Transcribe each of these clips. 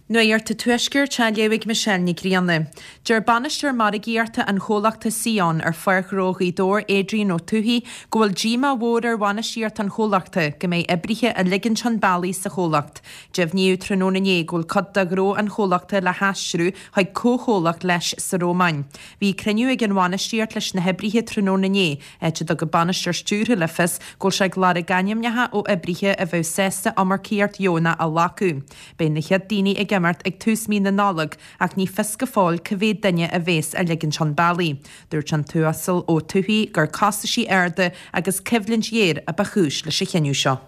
Nuacht an Tuaiscirt á léamh ag Michelle Nic Grianna. Deir bainisteoir margaíochta an chomhlachta Sion ar Pháirc Ghnó Ghaoth Dobhair, Adrian Ó Tuathaigh, go bhfuil díomá mhór ar bhainistíocht an chomhlachta go mbeidh oibrithe á ligint chun bealaigh sa chomhlacht. Deimhníodh tráthnóna inné go bhfuil cuid de ghnó an chomhlachta le haistriú chuig comhchomhlacht leis sa Rómáin. Bhí cruinniú ag an bhainistíocht leis na hoibrithe tráthnóna inné, áit a dtug an bainisteoir stiúrtha le fios go bhfuil sé ag lorg ainmneacha ó oibrithe a bheadh sásta iomarcaíocht dheonach a ghlacadh. Beidh na chéad daoine ag imeacht ag tús mí na Nollag ach ní fios go fóill cá mhéad duine a bhéas á ligint chun bealaigh. Dúirt an tUasal Ó Tuathaigh gur costaisí arda agus coimhlint ghéar a ba chúis leis an chinneadh seo.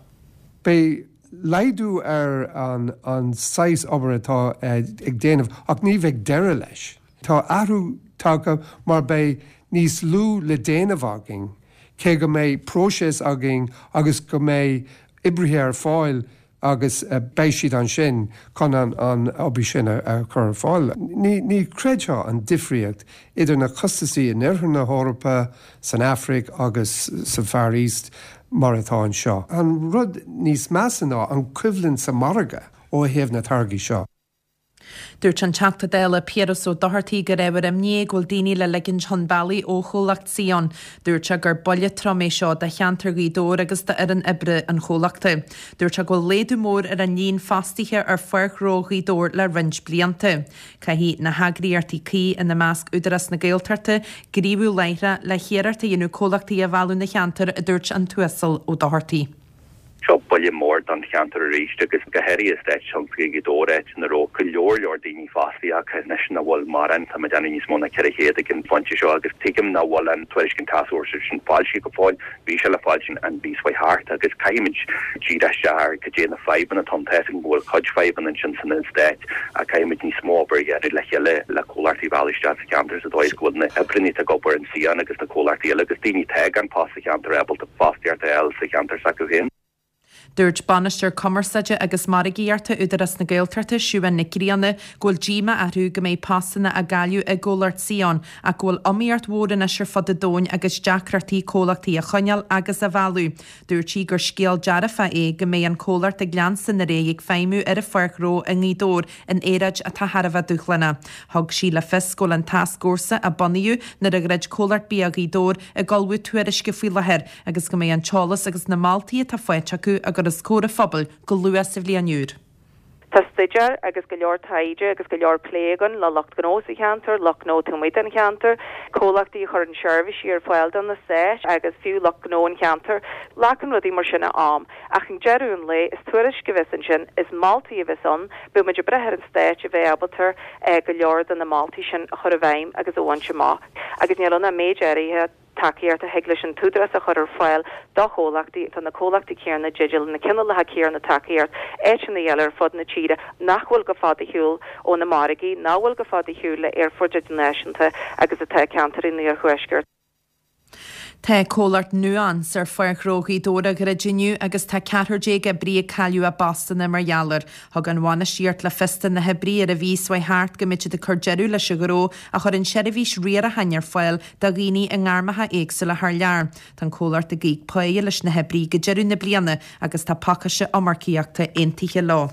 Beidh laghdú ar an saghas obair atá ag déanamh ach ní bheidh deireadh leis. Tá athrú tagtha mar beidh níos lú le déanamh againn, cé go mbeidh próiseas againn agus go mbeidh oibrithe ar fáil agus beidh siad ansin chun an obair sin a chur ar fáil. Ní chreidfeá an difríocht idir na costasaí in oirthear na hEorpa, san Afraic agus sa Far East mar atá anseo. An rud níos measa ná an choimhlint sa mhargadh ó thaobh na táirgí seo. Dúirt an Teachta Dála Piaras Ó Dochartaigh gur ábhar imní é go bhfuil daoine le ligint chun bealaigh ó chomhlacht Sion. Dúirt sé gur buille trom é seo do cheantar Ghaoth Dobhair agus d'fhoireann oibre an chomhlachta. Dúirt sé go bhfuil laghdú mór ar an líon fostaithe ar Pháirc Ghnó Ghaoth Dobhair le roinnt blianta. Caithfidh na heagraíochtaí cuí, ina measc Údarás na Gaeltachta, gníomhú láithreach le hiarracht a dhéanamh comhlachtaí a mhealladh 'na cheantar, a dúirt an tUasal Ó Dochartaigh. Seo buille mór don cheantar arís agus go háirithe eastát tionsclaíoch Ghaoth Dobhair, áit ina raibh go leor leor daoine fostaithe ach anois nach bhfuil mórán, tá mé ag déanamh níos mó ná 400 ag an phointe seo agus tuigim nach bhfuil an tuairisc an tascfhórsa sin foilsithe go fóill, bhí sé le foilsiú an mhí seo thart agus caithfimid díriú isteach ar cad é na fadhbanna atá ann. Tá fhios agam go bhfuil cuid fadhbanna ansin san eastát ach caithfimid níos mó obair a dhéanamh le chéile le comhlachtaí a mhealladh isteach sa cheantar sa dóigh is go bhfuil na hoibrithe atá ag obair in Sion agus na comhlachtaí eile agus daoine atá gan post sa cheantar ábalta fostaíocht a fháil sa cheantar s'acu féin. Dúirt Bainisteoir Cumarsáide agus Margaíochta Údarás na Gaeltachta, Siubhán Nic Grianna, go bhfuil díomá orthu go mbeidh postanna á gcailleadh i gcomhlacht Sion ach go bhfuil iomaíocht mhór anois ar fud an domhain agus deacrachtaí comhlachtaí a choinneáil agus a mhealladh. Dúirt sí gur scéal dearfach é go mbeidh an comhlacht ag leanstan ar aghaidh ag feidhmiú ar an pháirc ghnó i nGaoth Dobhair in aeráid atá thar a bheith dúshlánach. Thug sí le fios go bhfuil an tascfhórsa a bunaíodh nuair a dhruid Comhlacht Bia Ghaoth Dobhair ag ullmhú tuairisce faoi láthair agus go mbeidh an t-eolas agus na moltaí atá faighte acu á gcur os comhair an phobail go luath sa bhliain úr. Tá staidéar agus go leor taighde agus go leor plé againn le lucht gnó sa cheantar, lucht gnó taobh amuigh den cheantar, comhlachtaí a chuireann seirbhísí ar fáil don eastát agus fiú lucht gnó an cheantair. Glacann rudaí mar sin am. Ach ag deireadh an lae, is tuairisc a bheas ansin, is moltaí a bheas ann, beidh muid ag brath ar an Stát a bheith ábalta go leor de na moltaí sin a chur i bhfeidhm agus a bhaint amach. Agus níl ann ach méid áirithe tacaíocht a thig leis an tÚdarás a chur ar fáil do chomhlachtaí. Tá na comhlachtaí céanna i dteideal na cineálacha céanna tacaíocht áiteanna eile ar fud na tíre nach bhfuil go fada ar shiúl ó na margaí, nach bhfuil go fada ar shiúl le aerfoirt idirnáisiúnta agus atá i gceantair an iarthuaiscirt. Tá comhlacht Nuance ar Pháirc Ghnó Ghaoth Dobhair á dhruid inniu agus tá ceathrar déag oibrí ag cailleadh a bpostanna mar gheall air. Thug an bhainistíocht le fios do na hoibrithe ar an mhí seo thart go mbeidh siad ag cur deireadh leis an ghnó a chuireann seirbhís riaracháin ar fáil do dhaoine i ngairmeacha éagsúla thar lear. Tá an comhlacht ag íoc páighe leis na hoibrithe go deireadh na bliana agus tá pacáiste iomarcaíochta aontaithe leo.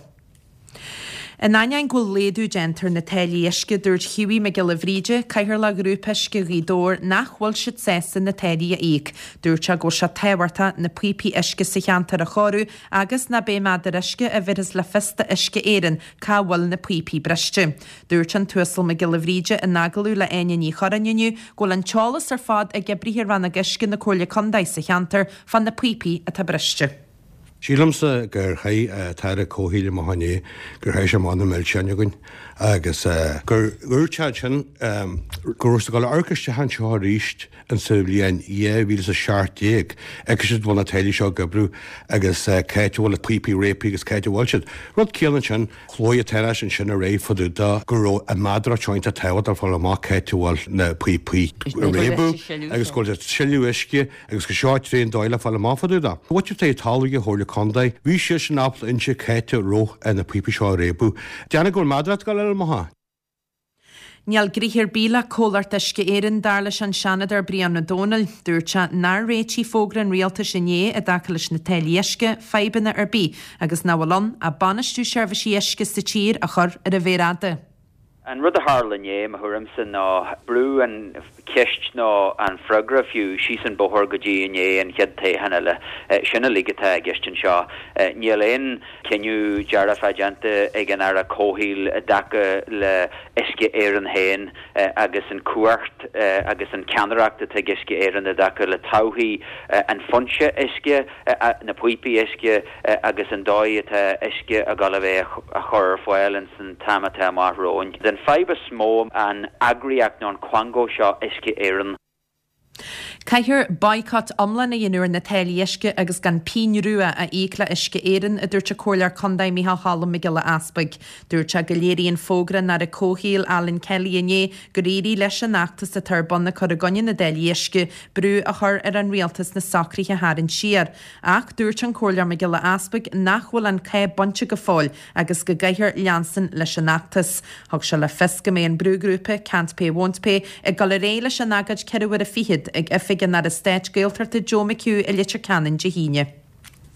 In ainneoin go bhfuil laghdú déanta ar na táillí uisce, dúirt Hughie Mac Giolla Bhríde, Cathaoirleach Ghrúpa Uisce Ghaoth Dobhair, nach bhfuil siad sásta na táillí a íoc. Dúirt sé go bhfuil sé tábhachtach na píopaí uisce sa cheantar a chóiriú agus ná beidh méadar uisce a bhéarfas le fios do Uisce Éireann cá bhfuil na píopaí briste. Dúirt an tUasal Mac Giolla Bhríde in agallamh le Áine Ní Churráin inniu go bhfuil an t-eolas ar fad ag oibrithe Rannóg Uisce na Comhairle Contae sa cheantar fá na píopaí atá briste. Sílimse gur chaith an tAire Comhshaoil amach inné, gur chaith sé amach na milseáin againn agus gur dhúirt sé ansin go raibh siad ag dul a amharc isteach anseo arís insa bhliain 2017 agus an bhfuil na táillí seo ag oibriú agus cá háit a bhfuil na píopaí réabtha agus cá háit a bhfuil siad. Rud céanna ansin, chuaigh an tAire ansin ar aghaidh fá dtaobh de go raibh an mheadaracht seo iontach tábhachtach fáil amach cá háit a bhfuil na píopaí ag réabadh agus go bhfuil siad ag sileadh uisce Agus go seo tréan dóigh le fáil amach fá dtaobh de. Bhuaitear talamh ag an Chomhairle Contae. Bhí siadsan ábalta inse cá háit a raibh na píopaí seo ag réabadh. Déanamh go bhfuil meadaracht ag dul eile amach. Níl gnoithe ar bith le Comhlacht Uisce Éireann, dar leis an Seanadóir Brian Ó Domhnaill. Dúirt sé nár réitigh fógra an rialtais inné i dtaca leis na táillí uisce, fadhbanna ar bith agus nach bhfuil ann ach bainistiú seirbhísí uisce sa tír a chur ar an mhéar fhada. An rud a tharla inné, mo thuairimse, ná brúdh an cheist nó an freagra fiú síos an bóthar go dtí i ndiaidh an chéad toghchán eile. Sin uilig atá i gceist anseo. Níl aon chinneadh dearfach déanta ag an Aire Comhshaoil i dtaca le Uisce Éireann féin agus an cumhacht agus an ceannaireacht atá ag Uisce Éireann i dtaca le todhchaí an foinse uisce, na píopaí uisce agus an dóigh atá uisce ag dul a bheith á chur ar fáil ins an t-am atá amach romhainn. An fadhb is mó an eagraíocht nó an quango seo Uisce Éireann. Caithfear boycott iomlán a dhéanamh ar na táillí uisce agus gan pingin rua a íoc le Uisce Éireann, a dúirt an Comhairleoir Contae Micheál Cholm Mac Giolla Easpaig. Dúirt sé go léiríonn fógra an Aire Comhshaoil Alan Kelly inné gur éirigh leis an fheachtas atá ar bun ag cur i gcoinne na dtáillí uisce brú a chur ar an rialtas na socruithe a tharraingt siar. Ach dúirt an Comhairleoir Mac Giolla Easpaig nach bhfuil an cath bainte go fóill agus go gcaithfear leanstan leis an fheachtas. Thug sé le fios go mbeidh an brúghrúpa Can't Pay Won't Pay ag dul ar aghaidh leis an agóid 4 uaire fichead ag oifig an Aire Stáit Gaeltachta Joe McHugh i Leitir Ceanainn Dé hAoine.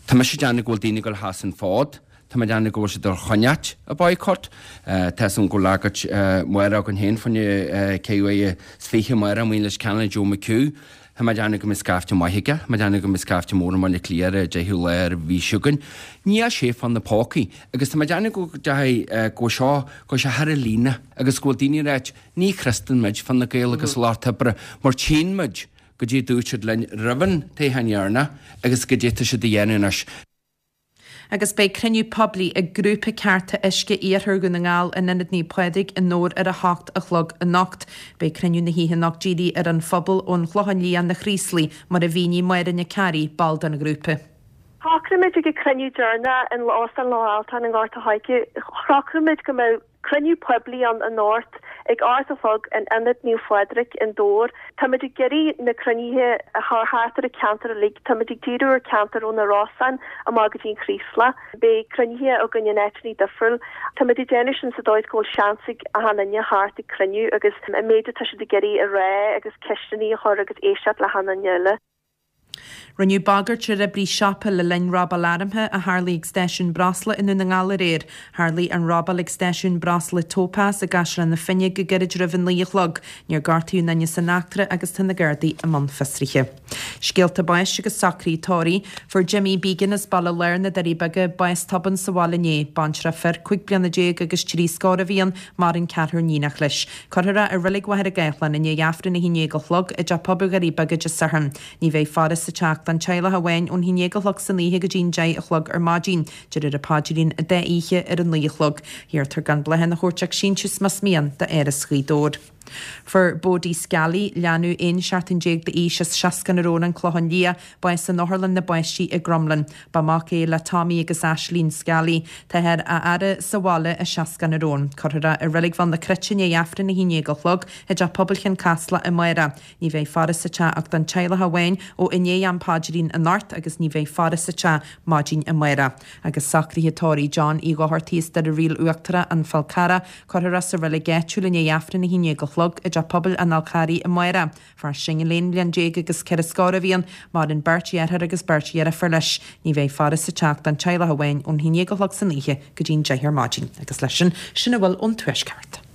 Tá mise ag déanamh go bhfuil daoine ag dul a sheasamh an fód. Tá mé ag déanamh go bhfuil siad ag dul a choinneáilt an boycott. Tá 'fhios agam go bhfuil agóid amárach againn féin fá choinne 24 uaire amárach amuigh i Leitir Ceanainn ag Joe McHugh. Tá mé ag déanamh go mbeidh scaifte maith aige. Tá mé ag déanamh go mbeidh scaifte mór i mBaile Átha Cliath ar an 10ú lá ar an mhí seo chugainn. Níl sé fá na pócaí. Agus tá mé ag déanamh go dteachaidh, go bhfuil seo, go bhfuil sé thar an líne agus go bhfuil daoine ag ráit, ní thrustan muid Fine Gael agus Lucht Oibre mar tchíonn muid goidé a dúirt siad linn roimh an toghchán dheireanach agus goidé atá siad a dhéanamh anois. Agus beidh cruinniú poiblí ag Grúpa Cearta Uisce Iarthar Dhún na nGall in Ionad Naomh Pádraig i nDobhar ar 8 a chlog anocht. Beidh cruinniú na hoíche anocht dírithe ar an phobal ón Chlochán Liath na Craoslaigh, mar a mhínigh Máire Nic Fhearraigh, ball den ghrúpa. Shocraigh muid ag an cruinniú deireanach in Óstán Loch Altáin i nGort a' Choirce, shocraigh muid go mbeadh Cruinniú poiblí ann anocht ag 8 a chlog in Ionad Naomh Phádraig i nDobhar. Táimid ag iarraidh na cruinnithe a chur thart ar an ceantar uilig. Táimid ag díriú ar ceantar ó na Rosann amach go dtí an Chraoslach. Beidh cruinnithe againn in áiteanna difriúil. Táimid ag déanamh sin sa dóigh is go bhfuil seans ag achan duine theacht ag cruinniú agus an méid atá siad ag iarraidh a rá agus ceisteanna a chur agus éisteacht le hachan duine eile. Rinneadh bagairt ar oibrí siopa le linn robáil armtha a tharlaigh ag stáisiún breosla i nDún na nGall aréir. Tharlaigh an robáil ag stáisiún breosla Topaz i gCaisleán na Finne go gairid roimh a 9 a chlog. Níor gortaíodh aon duine san eachtra agus tá na Gardaí i mbun fiosraithe. Scéalta báis agus socruithe tórraimh. Fuair Jimmy Began as Baile Láir na Doirí Beaga bás tobann sa bhaile inné. Baintreach fir 15 bliana agus 3 scór a bhí ann, maireann ceathrar níonach leis. Cuirfear é i Reilig Mhachaire Gathlán i ndiaidh Aifreann a haon déag a chlog i dTeach Pobail Dhoirí Beaga Dé Sathairn. Ní bheidh faire sa teach don teaghlach amháin ón haon déag a chlog san oíche go dtí an deich a chlog ar maidin. Déarfar an paidrín an dá oíche ar a naoi a chlog. Iarrtar gan bláthanna a thabhairt ach síntiús más mian d'Áras Ghaoth Dobhair. Fuair Bodie Scally, leanbh 11 seachtain d'aois as Seascann an Róin, An Clochán Liath, bás in Otharlann na bPáistí i gCromghlinn. Ba mhac é le Tommy agus Ashleen Scally. Táthar á fhaire sa bhaile i Seascann an Róin. Cuirfear é i Reilig Bhéal na Cruite i ndiaidh Aifreann 11 a chlog i dTeach Pobail Chionn Caslach amárach. Ní bheidh faire sa teach ach don teaghlach amháin ó i ndiaidh am paidrín anocht agus ní bheidh faire sa teach maidin amárach. Agus socruithe tórraimh John Uí Dhochartaigh as Doire Ríl Uachtarach, An Fál Carrach, Cuirfear é sa reilig áitiúil i ndiaidh Aifreann 11 a chlog i dTeach Pobail an Fháil Charraigh amárach. Fear singil 11 mbliain agus ceithre scór a bhí ann, maireann beirt dheartháir agus beirt dheirfiúr leis. Ní bheidh faire sa teach don teaghlach amháin ón 11 a chlog san oíche go dtí an 10 ar maidin. Agus leis sin, sin a bhfuil ón Tuaisceart.